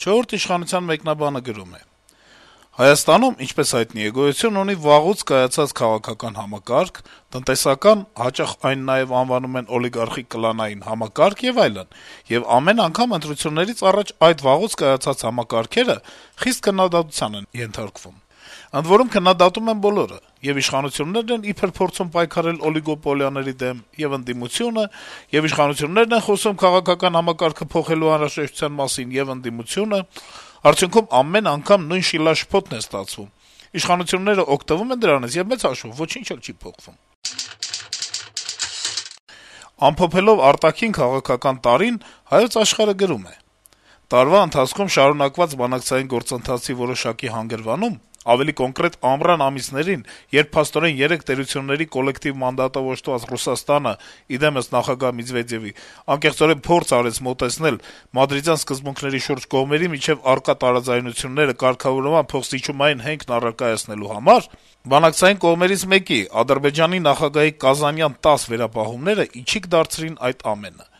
Չորրորդ իշխանության մեկնաբանը գրում է. Հայաստանում, ինչպես հայտնի է, գոյություն ունի վաղուց կայացած քաղաքական համակարգ, տնտեսական, հաճախ այն նաև անվանում են օլիգարխիկ կլանային համակարգ եւ այլն, եւ ամեն անգամ ընտրություններից առաջ այդ վաղուց կայացած համակարգերը խիստ քննադատության են ենթարկվում։ Ընդ որում քննադատում են բոլորը, եւ իշխանություններն են իբր փորձում պայքարել օլիգոպոլիաների դեմ, եւ ընդդիմությունը, եւ իշխանություններն են խոսում քաղաքական համակարգը փոխելու անհրաժեշտության մասին, եւ ընդդիմությունը, արդյունքում ամեն անգամ նույն շիլաշփոթն է ստացվում։ Իշխանությունները օգտվում են դրանից եւ մեծ հաշվով ոչինչ էլ չի փոխվում։ Ամփոփելով արտաքին քաղաքական տարին, Հայոց Աշխարհը գրում է. Տարվա ընթացքում շարունակված բանակցային գործընթացի որոշակի հանգրվանում, ավելի կոնկրետ ամռան ամիսներին, երբ փաստորեն 3 տերությունների կոլեկտիվ մանդատով օժտված Ռուսաստանը, իդեմս նախագահ Մեդվեդևի, անկեղծորեն փորձ արեց մոտեցնել մադրիդյան սկզբունքների շուրջ կողմերի միջև առկա տարաձայնությունները կարգավորման փոխզիջումային հենքն առարկայացնելու համար, բանակցային կողմերից մեկի, Ադրբեջանի նախագահի կազանյան 10 վերապահումները իջիկ դարձրին այդ ամենը։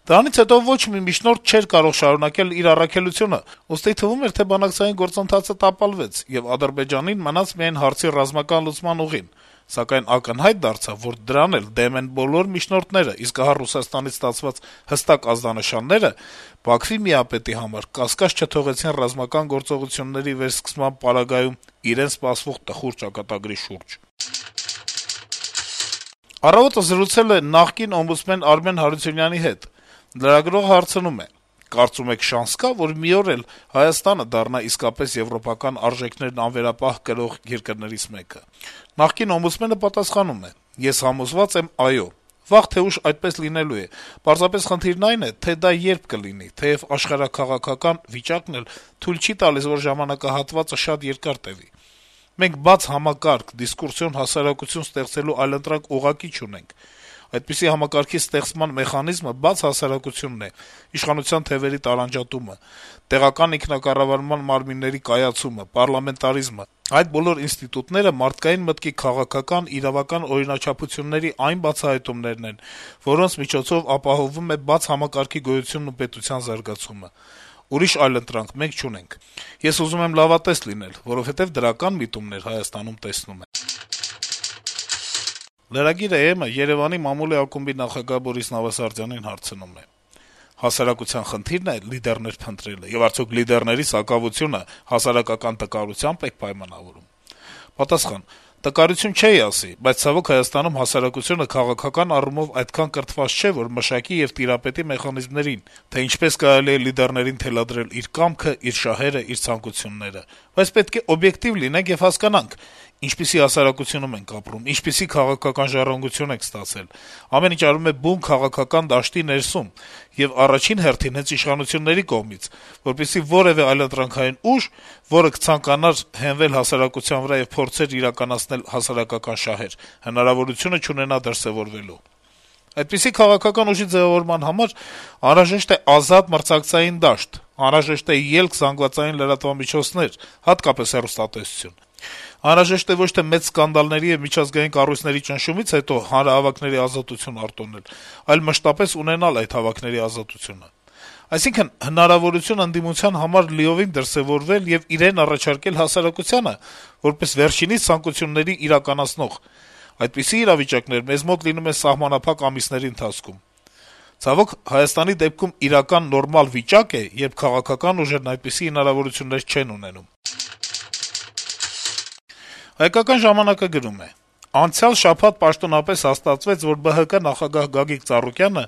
Դրանից հետո ոչ մի միջնորդ չէր կարող շարունակել իր առաքելությունը, ուստի թվում էր, թե բանակցային գործընթացը տապալվեց, եւ Ադրբեջանին մնաց միայն հարցի ռազմական լուծման ուղին, սակայն ակնհայտ դարձավ, որ դրան էլ դեմ են բոլոր միջնորդները, իսկ ահա Ռուսաստանից ստացված հստակ ազդանշանները Բաքվի միապետի համար կասկած չթողեցին ռազմական գործողությունների վերսկսման պարագայում իրեն սպասվող տխուր ճակատագրի շուրջ։ Առավոտը զրուցել է նախկին օմբուդսմեն Արմեն Հարությունյանի հետ։ Լրագրողը հարցնում է. կարծում եք շանս կա, որ մի օր էլ Հայաստանը դառնա իսկապես եվրոպական արժեքներն անվերապահ կրող երկրներից մեկը։ Նախկին օմբուդսմենը պատասխանում է. ես համոզված եմ այո։ Վաղ թե ուշ այդպես լինելու է։ Պարզապես խնդիրն այն է, թե դա երբ կլինի, թեև աշխարհաքաղաքական վիճակն էլ թույլ չի տալիս, որ ժամանակահատվածը շատ երկար տևի։ Մենք բաց համակարգ, դիսկուրսիոն հասարակություն ստեղծելու այլընտրանք ուղղակի չունենք։ Այդպիսի համակարգի ստեղծման մեխանիզմը բաց հասարակությունն է, իշխանության թևերի տարանջատումը, տեղական ինքնակառավարման մարմինների կայացումը, պարլամենտարիզմը։ Այդ բոլոր ինստիտուտները մարդկային մտքի քաղաքական, իրավական օրինաչափությունների այն բացահայտումներն են, որոնց միջոցով ապահովվում է բաց համակարգի գոյությունն ու պետության զարգացումը։ Ուրիշ այլընտրանք մենք չունենք։ Ես ուզում եմ լավատես լինել, որովհետև դրական միտումներ Հայաստանում տեսնում եմ։ Լրագիրը ԵՄ Երևանի մամուլի ակումբի նախագահ Բորիս Նավասարդյանին հարցնում է. հասարակության խնդիրն է լիդերներ փնտրելը, եւ արդյոք լիդերների սակավությունը հասարակական տկարությամբ է պայմանավորում։ Պատասխան. տկարություն չէի ասի, բայց ցավոք Հայաստանում հասարակությունը քաղաքական առումով այդքան կրթված չէ, որ մշակի եւ տիրապետի մեխանիզմներին, թե ինչպես կարելի է լիդերներին թելադրել իր կամքը, իր շահերը, իր ցանկությունները։ Բայց պետք է օբյեկտիվ լինենք եւ հասկանանք, ինչպիսի հասարակությունում ենք ապրում, ինչպիսի քաղաքական ժառանգություն ենք ստացել։ Ամեն ինչ արվում է բուն քաղաքական դաշտի ներսում եւ առաջին հերթին հենց իշխանությունների կողմից, որպեսզի որեւէ այլընտրանքային ուժ, որը կցանկանար հենվել հասարակության վրա եւ փորձեր իրականացնել հասարակական շահեր, հնարավորությունը չունենա դրսեւորվելու։ Այդպիսի քաղաքական ուժի ձևավորման համար անհրաժեշտ է ազատ մրցակցային դաշտ, անհրաժեշտ է ելք զանգվածային լրատվամիջոցներ, հատկապես հեռուստատեսություն։ Անհրաժեշտ է ոչ թե մեծ սկանդալների եւ միջազգային կառույցների ճնշումից հետո հանրահավաքների ազատություն արտոնել, այլ մշտապես ունենալ այդ հավաքների ազատությունը։ Այսինքն հնարավորություն ընդդիմության համար լիովին դրսեւորվել եւ իրեն առաջարկել հասարակությանը, որպես վերջինիս ցանկությունների իրականացնող։ Այդպիսի իրավիճակներ մեզ մոտ լինում է սահմանափակ ամիսների ընթացքում։ Ցավոք Հայաստանի դեպքում իրական նորմալ վիճակ է, երբ քաղաքական ուժերն այդպիսի հնարավորություններ չեն ունենում։ Հայկական ժամանակը գրում է. Անցյալ շաբաթ պաշտոնապես հաստատվեց, որ ԲՀԿ նախագահ Գագիկ Ծառուկյանը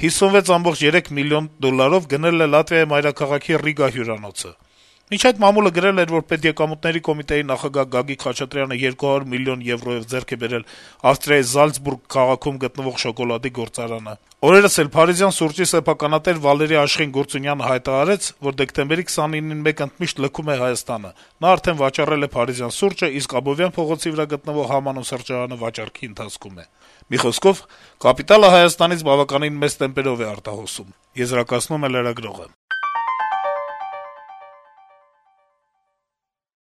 $56.3 միլիոն գնել է Լատվիայի մայրաքաղաքի Ռիգա հյուրանոցը։ Մինչ այդ մամուլը գրել էր, որ Պետեկամուտների կոմիտեի նախագահ Գագիկ Խաչատրյանը 200 միլիոն եվրոյով ձեռք է բերել Ավստրիայի Զալցբուրգ քաղաքում գտնվող շոկոլադի գործարանը։ Օրերս էլ փարիզյան սուրճի սեփականատեր Վալերի Աշխեն Գործունյանը հայտարարեց, որ դեկտեմբերի 29-ին մեկ ընդմիշտ լքում է Հայաստանը։ Նա արդեն վաճառել է փարիզյան սուրճը, իսկ Աբովյան փողոցի վրա գտնվող Համանուն սրճարանը վաճառքի ընթացքում է։ Մի խոսքով, կապիտալը Հայաստանից բավականին մեծ տեմպերով է արտահոսում, եզրակացնում է լրագրողը։